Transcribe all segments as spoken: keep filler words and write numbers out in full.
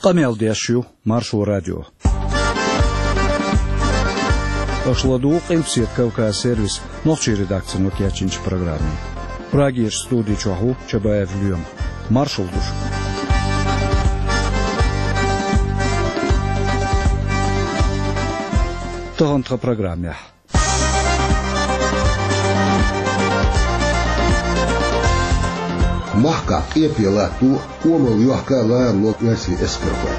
Къамел деш ю Маршо радио. Аша ладугӀу Къилбаседа Кавказ сервисан нохчийн редакцино кечйинчу программе. Прагерчу студи чохь ву Чабаев Лоьма. Маршалла ду шуьга. Тахана тхан программехь. Махкахь къепе латто, къомалла йохка а ларало оьрсийн эскархой.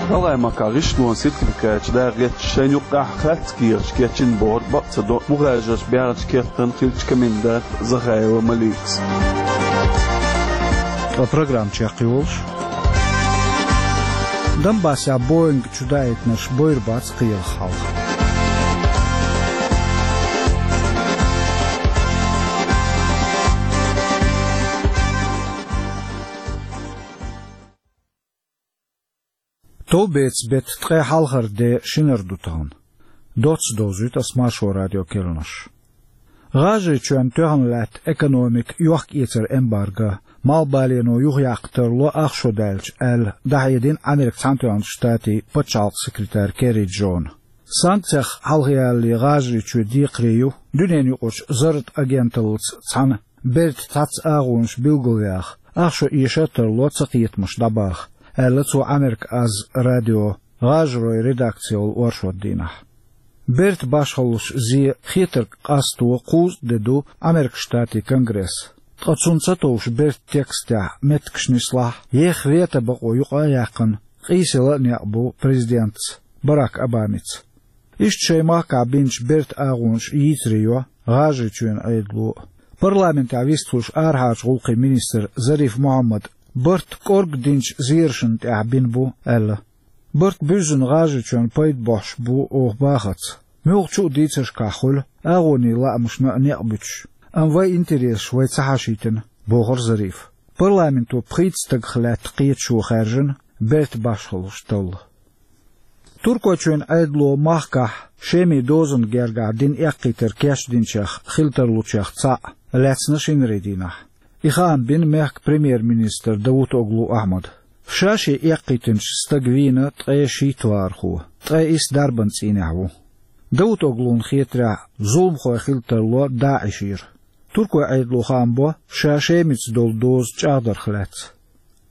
Далай-Макахь гӀишлонан сертификаташ дакъа гӀерташ, шайна юккъехь харц кехаташ кечйина бохург бакъ ца до мухӀажарш баьхначу кертан хиллачу комендант Захаева Маликас. Ткъа программа чекхйолуш. Донбассехь Боинг чудаийтинарш бойр бац кхелах хьалха. Товбецан беттан ткъе хьалхара де шинара ду тахана. Доцца довзуьйту ас Маршо радион керланаш. ГӀажарийчоьнан тоьхна лаьтта экономика йохка-эцар эмбарго, малхбалено юхаяккха тарло ах шо даьлча аьлла, дӀахьедина Америкин Цхьаьнатоьхначу Штатийн пачхьалкхан секретарь Керри Джона. Санкцех хьалхаялале ГӀажарийчоь декхаре ю дуьненаюкъарчу зарратан агенталлица цхьаьна бертан цхьацца агӀонаш билгалваха, ах шо эша а тарло цакхетамаш дӀабаха, аьлла цо Америка аз радион гӀажаройн редакци йолу оршот дийнахь. Бертан башхаллаш зе хетарг къасто кхузткъа де ду Америкин Штатийн Конгресс. Ткъа цунна ца товш бертан текстехь меттигаш нислахь, еха вето бакъо юкъа а яьккхина, къийсала а некъ бу президентаца Барак Обамица. Иштта шайн махкахь бинчу бертан агӀонаш йийцаре йо ГӀажарийчоьнан Ӏедало а. Парламентехь вистхуьлуш арахьарчу гӀуллакхийн министр Зариф Мухьаммада барт кӀорга динчу зерашна тӀехь бина бу аьлла. Барт буьззина ГӀажарийчоьнна пайда бохьуш бу оха бахарца. Муьлххачу а дийцаршкахь хуьлу агӀонийн лаамашна а некъ буьтуш, амма вайн интересаш вай ца хьашийтина, бохура Зарифа. Парламенто пхийтта стагах лаьтта кхеташо хаьржина бертан башхаллаш талла. Туркойчоьнан Ӏедало махкахь Шемин дозанна гергахь дина эккхийтар кечдинчех хила тарлучех цхьаъ лаьцна шинарин дийнахь. И хаам бина мехкан премьер-министра Давутоглу Ахьмада. Ша шен эккхийтинчу стага вийна ткъе шийтта вахархо, ткъе исс дарбан цӀийнехь ву. Давутоглуна хетарехь, зуламхой хила тарло ДАИШера. Туркойн Ӏедало хаам бо ша Шемица долу доза чӀагӀдарх лаьцна.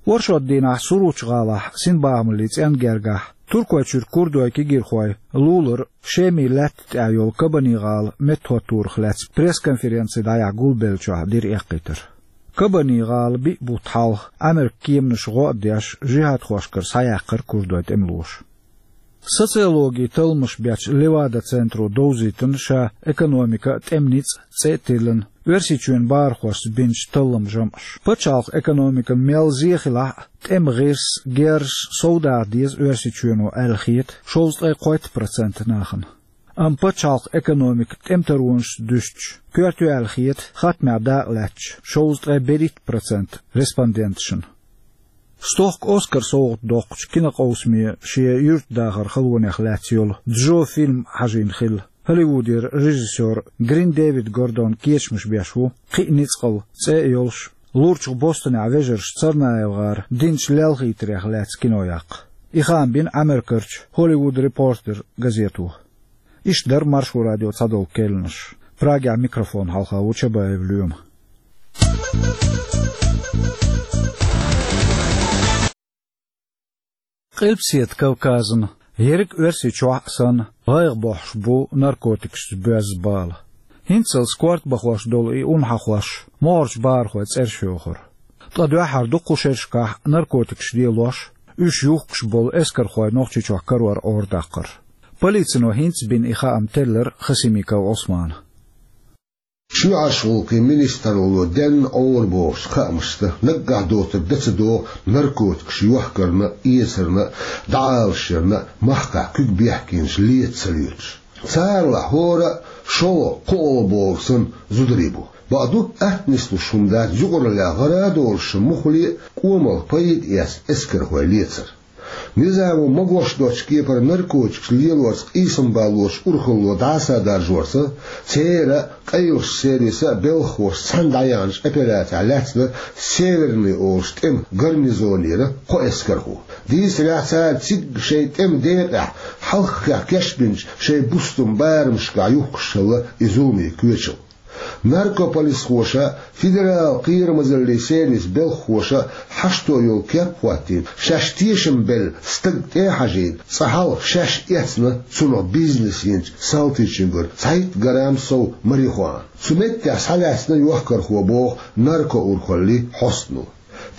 Оршот дийнахь Суручу гӀалахь синбахамаллин цӀенна гергахь Туркойчуьра курдойн кегийрхой лулара Шемин лаьтта тӀехь йолу Кабани-гӀала меттахӀоттарх лаьцна пресс-конференци дӀаяхьа гулбеллачохь дира эккхийтар. Кабани-гӀала биъ бутт хьалха Америкин кеманаша гӀо а деш, жихӀадхошкара схьаяьккхира курдойн тӀемалоша. Социологин талламаш бечу Левада-центро довзийтина ша «Экономика а, тӀеман ницкъ а» цӀе а тиллина, Оьрсийчоьнан бахархошца бинчу талламан жамӀаш. Пачхьалкхан экономикана мел зе хилахь а, тӀеман гӀирс, герз совдаха деза Оьрсийчоьно аьлла хета шовзткъе кхойтта процент нахана. Амма пачхьалкхан экономика тӀематаронашца дуьстича, коьрта ю аьлла хета хаттамехь дакъалаьцначу шовзткъе берхӀитта процент респонденташна. Стохка Оскар совгӀат доккхучу кинокъовсаме шен юьртдахаран халонех лаьцна йолу Джо фильм хьажийна хилла, Холливудера режиссёр Грин Дэвид Гордон кечамаш беш ву «Кхин а ницкъала» цӀе а йолуш, лурчух Бостонехь вежарша ЦарнаевгӀара динчу лелхийтарех лаьцна кино яккха. И хаам бина Америкерчу Hollywood Reporter газето. Иштта дара Маршо радион цхьадолу керланаш. Прагехь микрофон хьалха ву Чабаев Лоьма. Къилбаседа Кавказана, ерриг Оьрсийчохь а санна, гӀайгӀа бохьуш бу наркотикашца боьзна бала. ХӀинццалц корта бахош долу и ун хьахош могӀарчу бахархойн цӀераш йохура. Ткъа дуьххьара дукха шерашкахь наркотикаш лелош, уьш юхкуш болу эскархой Нохчийчохь карор Ӏорадаккхара. Полицино хӀинца бина и хаам теллира Хасимиков Ӏусмана. Чоьхьарчу гӀуллакхийн министралло денна Ӏора бохучу хаамашца, наггахь доцург дан ца догӀу наркотикаш йохкарна а, эцарна а, дӀаалашъярна а махкахь куьг бехкенаш леца ца лоьцуш. Царалахь хӀора а шолгӀа, кхоалгӀа бохург санна зударий бу. Бакъду, атта нислуш хӀума дац юкъараллехь гӀара а долуш муххале а кӀомалла пайда эцна эскархой лецар. Низамо магош доцчу кепара наркотикаш лелорца къийсам баллалц урхалло дӀасадаржорца, церан а, къайлахчу сервисан а белхахоша цхьаьна дӀаяьхьначу операцехь лаьцна Северный олучу тӀеман гарнизонера кхо эскархо. Дийцарехь, цара цига шайн тӀеман декъехь хьалххе кечбинчу шайн бустан барамашкахь юхкуш хилла и зуламийн коьчал. Наркополисхоша, федералан кхерамазаллин сервисан белхахоша хьашто йолу кеп а хӀоттийна, шаьш тешам белла стаг тӀе а хьажийна, цкъа хьалха шаьш эцна цунах бизнес йинчу салтичуьнгара цхьайтта грамм сов марихуана. Цу меттехь схьалаьцна йохкархо, боху наркоурхаллин хьостано.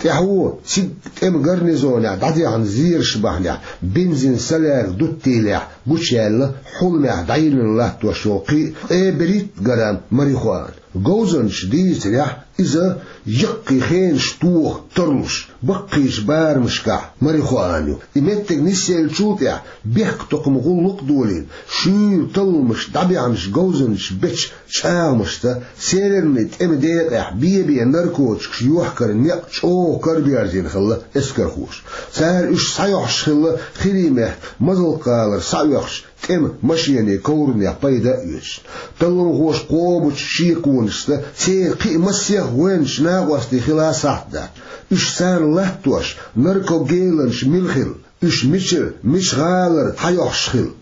ТӀаьхьо цига тӀеман гарнизонехь дӀадехна зераш бахьанехь бензин салаьрга дуттийлехь гучуяьлла хьуламехь дӀайиллина латтош йолу кхин а ткъе берхӀитта грамм марихуана. Говзанчаша дийцарехь, иза яккхий хенаш тоха тарлуш, баккхийчу барамашкахь марихуана ю. И меттиг нисъеллачул тӀаьхьа бехктокхаман гӀуллакх а долийна, шуьйра талламаш дӀабаьхьначу говзанчаша бечу чӀагӀамашца, Северный тӀеман декъехь бен-бен наркотикаш йохкаран некъ чӀогӀа караберзийна хилла эскархоша. Цара уьш схьайохьуш хилла Хиримехь Мазалк-гӀалара схьаоьхучу тӀеман машенийн ковранех пайда а оьцуш. Талламхоша кхобучу шеконашца церан кхин а массех а гӀоьнчу накъостийн хила сахьт дац. Уьш царна латтош, наркогеланаш мила хилла, уьш мичара, мичу гӀалара схьайохьуш хилла.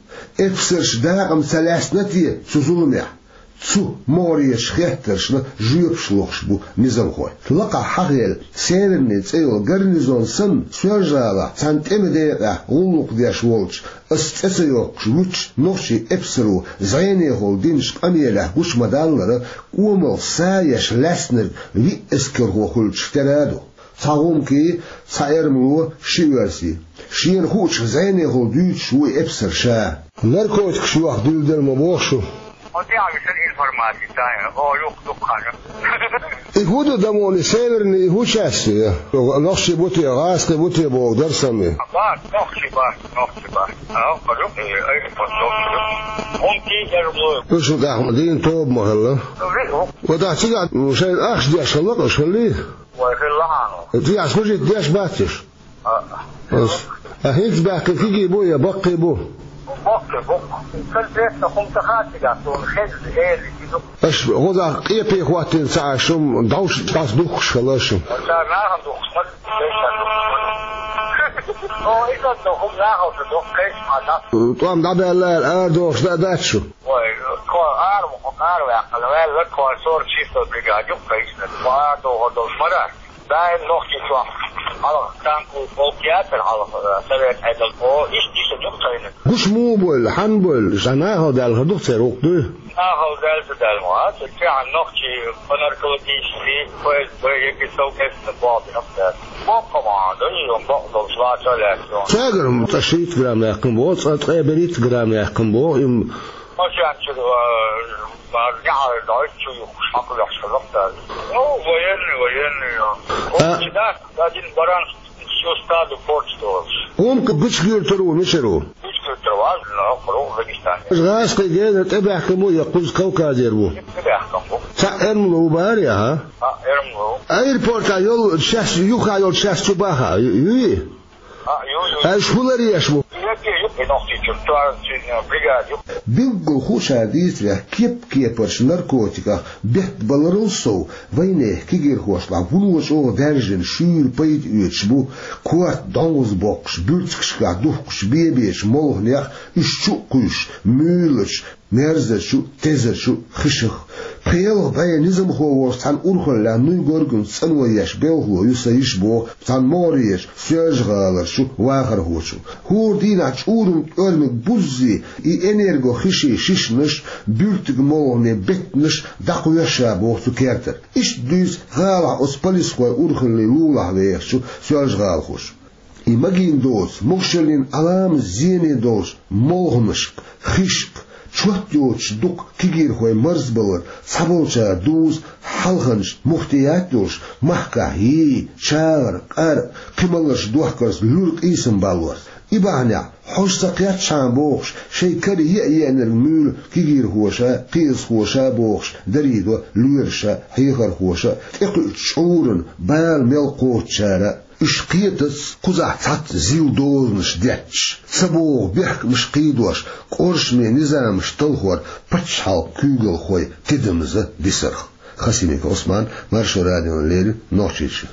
Эпсарш дакъа ма ца лаьцна те цу зуламехь? Цу могӀарерчу хеттаршна жоьпаш лохуш бу низамхой. Лакхахь хьахийна Северный цӀе йолу гарнизон санна, Соьлжа-ГӀалахь цхьана тӀеман декъехь гӀуллакх деш волчу, ас цӀе ца йоккхуш вуьтучу нохчийн эпсаро зӀенехула динчу къамелехь гучу ма-даллара, кӀомалх са еш лаьцнарг виъ эскархо хуьлучух тера а ду. Цхьа гӀумкий, цхьа эрмало, ши оьрсий. Шена хуучух зӀенехула дуьйцуш ву и эпсар ша. Наркотикаш йохка дуьйладелла ма боху шу? Оцу тӀехь висина информаци, ца, о, юха дукха хьажа. И хӀун ду, Дамони, Северный, и хӀун часть ю? Нохчий бу те, гӀазкхий бу те боху дарсаме. Бац, нохчий бац, нохчий бац. А, хӀокху ю, э, аэропорт нохчий ю. ГӀумкий, эрмало. Уьш тӀехь дийна тоба ма хилла. Ви, хӀу. Вот ахь цигахь шайна ахча деш хилла, аша хиллий? Вай, хилла хьан. Цигахь служить деш бац уьш? А. Ас. А хӀинца баьхкина кегий бу я баккхий бу? Баккхий бу. Конкретно хӀума ца хаьа цигахь, суна хезна, эли, изу. Аша гӀозахь къепе хӀоттийна ца Ӏаш, хӀума дӀовш дӀаса духкуш хилла аша. Цара нахана духкуш ма ду, вешан духкуш ма ду. О, иза ду, хӀума нахалца духкуш, кхечу хьан дӀа. ТӀом дӀабаьлла аьлла, арадохуш дан а дац шу? Вай, тхо ара, ара ваьккхина, ваьлла, тхо сорок шестой бригада ю, кхечу, тхо арадохур долуш ма дац. Даим Нохчийчохь хьалха танковый полк яцара хьалха, э, совет Ӏедал. О, иштта иштта ду тхайна. Гуш муха бойла, хьанна бойла, ша нахала даьлла хир ду-кх церан гӀуллакх дуй? Нахала даьлла ца даьлла ма, а, цу тӀехь нохчий по наркологически, Ф С Б, яки совместно боху динах даьлла. Боккха ма, да, и он бакъ долуш лаца а лаьцна. Цаьгара цкъа шийтта грамм яьккхина боху, цкъа ткъе берхӀитта грамм яьккхина боху, им. Машен чуьра, э, Бара яхьар дай чу юхуш хьакхавеш хилла цара. Ну, военный, военный, а. О, а, чи да, один баран всю стаду порчу долуш. ГӀумкий гучуьйтур ву, мичара ву? Гучуьйтур ву, а, ну, кху Дагестане. ГӀазкхий генара тӀебаьхкина бу я кхуза Кавказера бу? ТӀебаьхкина бу. Цхьа эрмало ву бара я, а? А, эрмало. Аэропортехь йолу часть, юха йолу часть чу баха, ю-, юй? А, ю, ю. Аша хӀун ларъеш бу? Билггал хууш хьан дийцарехь, кеп-кепарчу наркотиках беттан баларал сов, вайнехан кегирхошлахь вуно чӀогӀа даьржина шуьйра пайда оьцуш бу, корта дӀовза боккхуш, буьрцигашкахь духкучу бен-бечу молханех, уьш чу а кхуьйсуш, муьйлачу, мерзачу, тезачу хишах. Пхи-ялх бӀе низамхо волчу цхьана урхаллехь Нуй Горгунца цӀано еш белхало ю сан йиша, боху цхьана могӀарерчу Соьлжа-ГӀаларчу вахархочо. ХӀора дийнахь чӀуран тӀоьрмиг буззий и энергохишин шишнаш, буьртиг молханийн беттанаш дӀакхоьссина, боху цу кертара. Иштта дуьйцу гӀалахь оцу полисхойн урхаллин лулахь вехачу соьлжагӀалахоша. И магийна доцу, могушаллин Ӏаламат зене долчу молханашка, хишка, чот йоцуш дукха кегирхой марзбалар, цхьаболчара дуза хьалханчу муфтият йолуш, махкахь йий, чагӀар, къар, кхин маларш дохкарца луьра къийсам баллорца. И бахьанехь, хьожа ца кхетчхьана бохуш, шайн кара еа-еанарг муьйлу кегирхоша, кхиазхоша бохуш, дарийдо лоьраша, хьехархоша, тӀекхуьучу чӀуран бала мел кхочучара. Уьш кхетац кхузахь цхьацца зил дозанаш детташ, ца богӀу бехкамаш кхийдош, къуршаме низамаш талхор пачхьалкхан куьйгалхой тидамза бисарх. Хасимиков Ӏусман, Маршо радиона леррина, Нохчийчоь.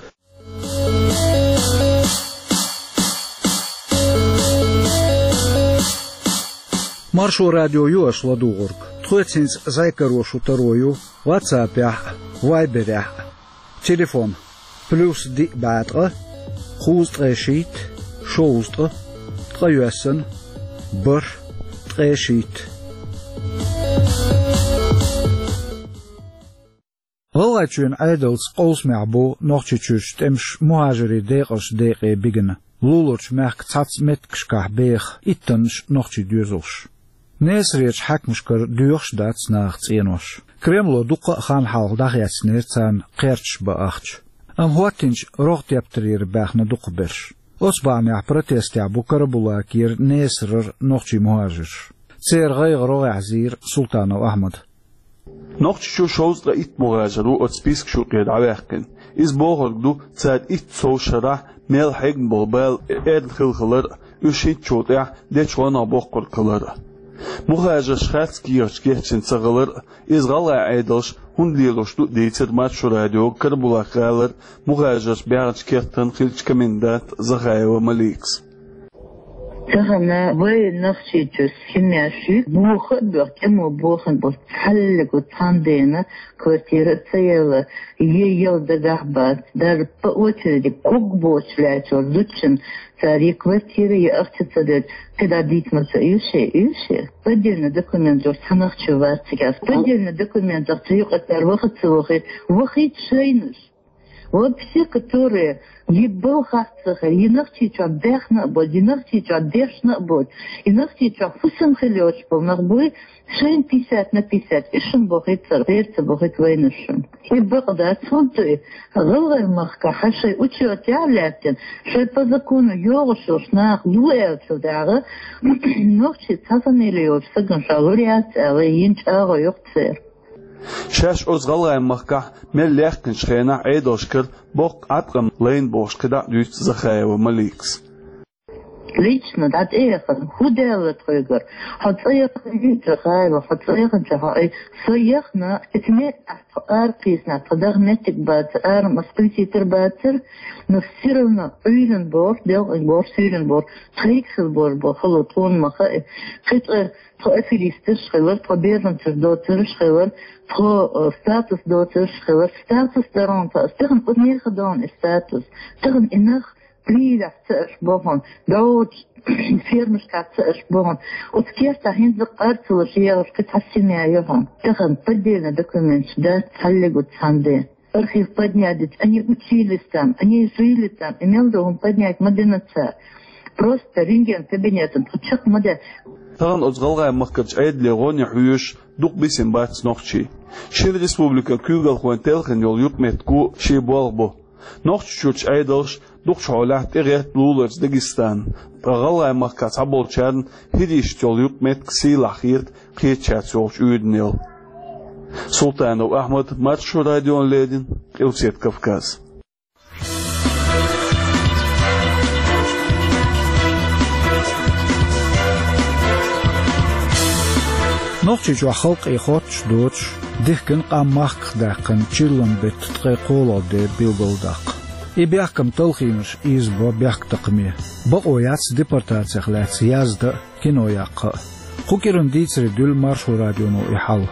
Маршо радио ю аша ладугӀург. Тхоьца хӀинца зӀе каро шу таро ю WhatsApp-ехь а, Viber-ехь а. Телефон: плюс диъ бӀаьткъа, кхузткъе шийтта, шовзткъа, ткъайоьсна, бархӀ, ткъе шийтта. ГӀалгӀайчоьнан Ӏедалца къовсамехь бу Нохчийчуьрчу тӀемаша мухӀажарийн декъашна декъе бигна. Луларчу мехкан цхьацца меттигашкахь беха иттаннаш нохчийн доьзалш. Несарерчу хьаькамашкара доьхуш а дац наха цӀенош. Кремло дуккха а хан хьалха дӀахецнера царна кхерчаш бан ахча. Амма хӀоттийначу рогӀ тептарера баьхна дукхахберш. Оцу бахьанехь протестехь бу Карабулакера, Несарара нохчийн мухӀажарш. Церан гӀайгӀа рогӀехь зийра Султанов Ахьмада. Нохчийчу шовзткъе итт мухӀажар ву оцу спискаш юкъера дӀаваьккхина. Иза бохург ду, цара итт сов шарахь мел хьегна болу бала эрна хилла хилар а, уьш хӀинцачул тӀаьхьа дечу гӀонах боккхург хилар а. МухӀажарш харц кехаташ кечйина ца хилар а, иза гӀалгӀайн Ӏедалша хӀунда лелош ду а дийцира Маршо радиога Карабулак-гӀалара мухӀажарш баьхначу кертан хиллачу коменданта Захаева Маликас. Тахана вай Нохчийчуьра семьяш ю, боха а боьхна, тӀамо бохийна болу цхьаллиг цхьана дена квартира а ца елла, е яла дагахь бац, даже по очереди ког боцуш лаьттачу зудчунна цара я квартира, я ахча ца делча, кхидӀа дийца ма ца оьшу, оьшу. Поддельный документ йолуш цхьа нах чу вац цигахь. Поддельный документах цу юкъа цара ваха а ца вахийта, вахийта шайнаш. Вот все, которые и балхах ца хир, и Нохчийчохь баьхна а боцу, и Нохчийчохь дешна а боцу, и Нохчийчохь хӀусам хила йоцуш болу нах буй, шайна пятьдесят на пятьдесят, и шуна бохуьйту цара, церца бохуьйту вайна шуна. И бакъ дац, хӀунда и гӀалгӀай махкахь шайн учёт яхь лаьттина, шайн по закону йогӀуш йолуш наха лу аьллачул дагӀа, нохчий цхьа фамилия йолчу стагана ша лур яц аьлла, йина чӀагӀо йоккху церан. Шаьш оцу гӀалгӀайн махкахь мел лаьхкинчу хенахь Ӏедалшкара боккха Ӏаткъам лайна бохуш кхидӀа а дуьйцу Захаева Маликас. Лично дӀа тӀеяхана, хӀун даьлла тхоьгара? Хьо цӀа яхана ю, Захаева, хьо цӀа яханчохь хьо ай, со яхана, эца метта тхо ара кхийсинехь, тхо даха меттиг бацара, ара ма спаситар бацара, но всё равно Ӏуьйранна боху, делкъиг боху, суьйранна боху, тхайга хила боху, боху, хало тхуна ма хаьа. Кхин цкъа Тхо аферисташ хилар, тхо беженцаш доцурш хилар, тхо, э, статус доцурш хилар, статус дарон тхо, ас тахана кху нехан дон и статус. Тахана и нах Прилехь ца аш бохун, догӀучу фермашкахь ца аш бохун. Оцу кертахь хӀинца къарцалуш егӀаш кхин цхьа семья ю хьуна. Тахана поддельный документаш дац цхьаллиг цхьанде. Архив поднять дича, они учились там, они жили там, и мел ду хӀума поднять ма дина цара. Просто рентген кабинетан тхо чекх ма де. Тахана оцу гӀалгӀайн махкарчу Ӏедале гӀоне хьоьжуш дукха бисина бац нохчий. Шина республикан куьйгалхойн телхина йолу юкъаметтиг шен болх бу. Нохчийчуьрчу Ӏедалша дукхачу хьолехь тӀегӀерта луларца Дагестан, ткъа гӀалгӀайн махкахь цхьаболчарна хӀирийшца йолу юкъаметтиг сийлахь хета кхечаьрца йолчу уьйранел. Султанов Ахьмад, Маршо радиона леррина, Къилбаседа Кавказ. Нохчийчохь халкъе хоттуш доцуш, дихкина къам махках даьккхина чиллан беттан ткъе кхоалгӀа де билгалдаккха. И бехкам талхийнарш ийзабо бехктакхаме. Бакъо яц депортацих лаьцна яздан а, кино яккха а. Кху кӀиран дийцаре дуьллу Маршо радионо и хьал.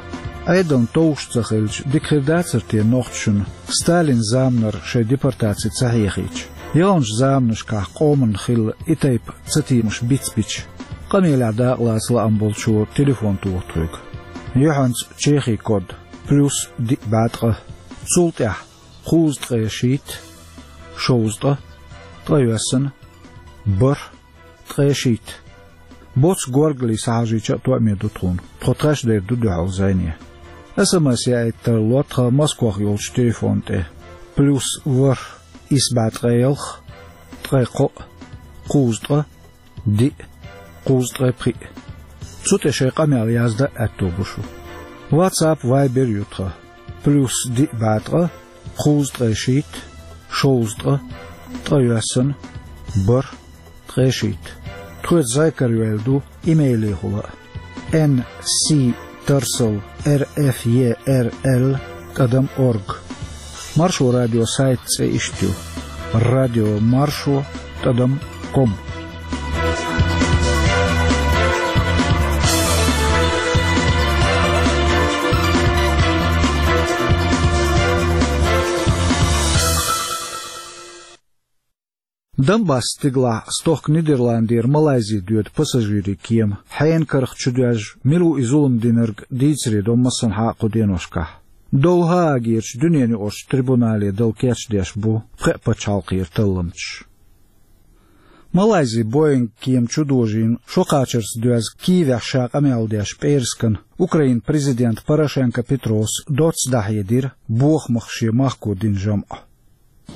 Ӏедална товш ца хилча, дика хир дацара те нохчашна Сталин заманара шайн депортаци ца хьехийча? Яханчу заманашкахь къоманна хилла и тайпа цатемаш бицбича, къамелехь дакъалаца лаам болчо телефон тоха тхоьга. Юьхьанца Чехин код: плюс диъ бӀаьткъа, цул тӀаьхьа кхузткъе шийтта, шовзткъа, ткъайоьсна, бархӀ, ткъе шийтта. Боцу горгали схьахьажийча а тоьаме ду тхуна. Тхо тхаьш дер ду дуьхьал зӀене. СМС яийта тарло тхан Москвахь йолчу телефон тӀе: плюс ворхӀ, исс бӀе ткъе ялх, ткъе кхоъ, кхузткъа, диъ, кхузткъе пхиъ. Цу тӀе шайн къамел яздан а аьтто бу шун. WhatsApp, Viber ю тхан: плюс диъ бӀаьткъа, кхузткъе шийтта, шовзткъа, Ткъе йоьссан, бархӀ, ткъе шийтта. Тхоьца зӀамига карайоалла ду имейлехула а: Н С Тарсал Р Ф Е Р Л тӀадам орг. Маршо радион сайт цӀе иштта ю: радио маршо тӀадам ком. Донбасс стигалахь стохка Нидерландера Малайзи доьду пассажирийн кема. Хьенан карах чудоьжна, мила ву и зулам динарг, дийцаре до массанхьа а кху деношкахь. Довла Гаагерчу дуьненаюкъарчу трибунале дала кечдеш бу пхеа пачхьалкхера талламчаш. Малайзи Боинг кема чудожийна шо кхачарца доьзна Киевехь ша къамел деш пӀераскана Украинан президента Порошенко Петрос доцца дӀахьедира бохамах шен махко дина жамӀ.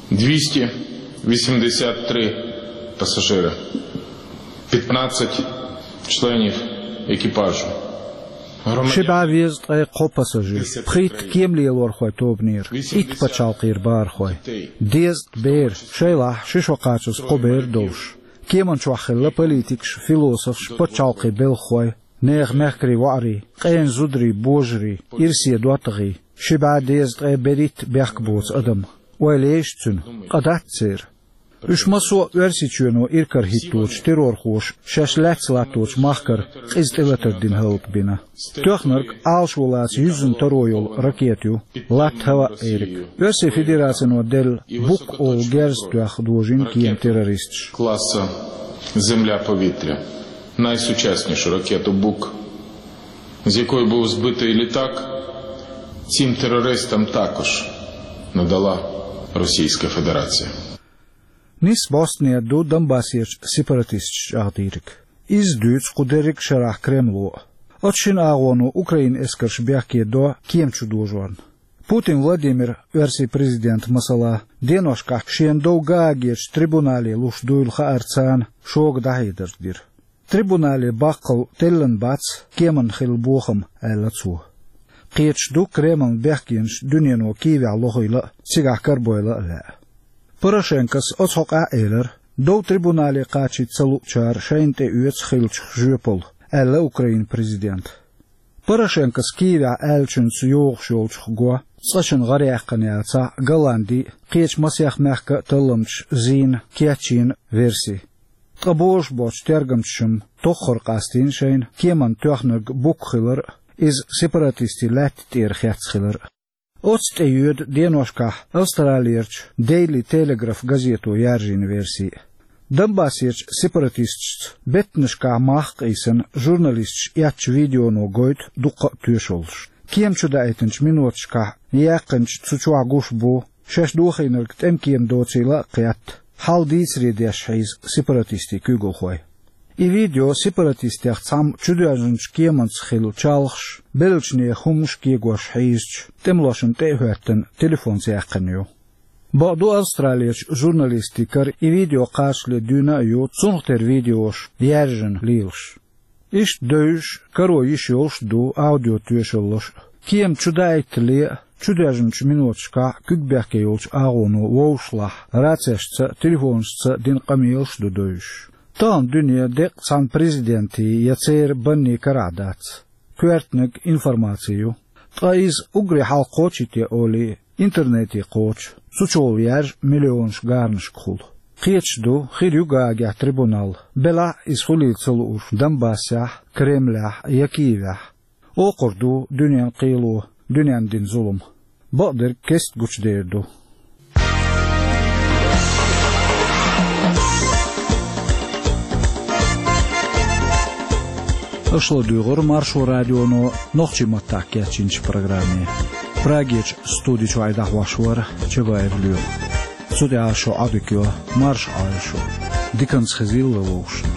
Двести восемьдесят три пассажира, пятнадцать членов экипажа. Ши бӀе везткъе кхо пассажир, пхийтта кеман лелорхойн тобанера, итт пачхьалкхера бахархой, дезткъа бер, шайлахь ши шо кхачаза кхо бер долуш. Кеман чохь хилла политикаш, философаш, пачхьалкхийн белхахой, нехан мехкарийн воӀарий, къена зударий, божарий, ирсе доттагӀий, ши бӀе дезткъе берхӀитта бехк боцу адам. Ойла еш цуьнан, къа дац церан. Уьш массо а Оьрсийчоьно иракарахӀитточу террорхоша шаьш лаьцна латточу махкара къиза тӀелатар дина хӀаллакбина. Тоьхнарг Ӏалашо лаца юьззина таро йолу ракета ю, латта-хӀаваъ эриг. Оьрсийн Федерацино делла Бук олу герз тоьхна дожийна кема террористаша. Класса «Земля-повітря», найсучаснішу ракету «Бук», з якої був збитий літак, цим терористам також надала Російська Федерація. Нисса бӀостанехьа ду Донбассерчу сепаратисташна чӀагӀдийриг. Иза дуьйцу кху дерриг а шарахь Кремло. Оцу шина агӀоно Украинан эскарш бехке до кема чудожорна. Путин Владимира, Оьрсийн президента, масала, деношкахь шена дов Гаагерчу трибунале луш дуйла хаарца, шога дӀахьедар дира. Трибунале баккхалла теллина бац кеманна хилла бохам, аьлла цо. Кхеташ ду Кремлна бехкенаш дуьнено Киевехь лохийла а, цигахь карабойла а лаьа. Порошенкос оцу хьокъехь а элира, дов трибунале кхачийта ца луучара шайна тӀеоьцу хиллачух жоьпалла, аьлла Украинан президента. Порошенкос Киевехь аьллачуьнца йогӀуш йолчух го, цкъачунна гӀараяьккхина яцахь, Голландин а, кхечу масех мехкан а талламчаша зийна, кечйина верси. Ткъа божабоцчу тергамчаша-м тоххара къастийна шайна кеманна тоьхнарг Бук хилар а, иза сепаратистийн лаьтта тӀера хецна хилар а. Оццу тӀе йоьду деношкахь Австралерчу Daily Telegraph газето яьржина верси. Донбассерчу сепаратисташца беттанашкахь мах а къийсина, журналисташа эцначу видеоно гойту дуккха а тоьшаллаш. Кема чудаийтинчу миноташкахь яьккхинчу цу чохь гуш бу, шаьш дохийнарг тӀеман кема доцийла а кхетта, хьал дийцаре деш хьийза сепаратистийн куьйгалхой. И видео сепаратистех цхьамма чудоьжначу кеманца хилла чалхаш, беллачу нехан хӀуманаш кегош хьийзачу тӀемалошна тӀе а хӀоьттина, телефонца яьккхина ю. Бакъду, Австралерчу журналистийн кара и видео кхачале дуьйна а ю, цунах тера видеош яьржина лелаш. Иштта девзаш, каро йиш йолуш а ду аудиотоьшаллаш а. Кема чудаийтале а, чудоьжначу миноташкахь куьг бехке йолчу агӀоно вовшашлахь рацешца а, телефонашца а дина къамелаш а ду девзаш. Тахана дуьне деккъа цхьана президентийн я церан баннийн карахь дац. Коьртаниг информаци ю. Ткъа иза уггаре хьалха кхочуьйтий олий, интернете кхочу, цу чухула яьржа миллионаш гарнашкахула. Кхеташ ду, хир ю Гаагехь трибунал, белахь а иза хуьлийла ца лууш Донбассехь, Кремлехь я Киевехь. Окхур ду дуьненан кхело дуьненна дина зулам. Бакъдерг кеста гучудер ду. Аша ладуьйгӀура Маршо радионо нохчийн маттахь кечйинчу программе. Прагерчу студи чуьра дӀахьош вара Чабаев Лоьма. Цу тӀехь шун Ӏодика йо, марша Ӏойла шу. Диканца хезийла вовшашна.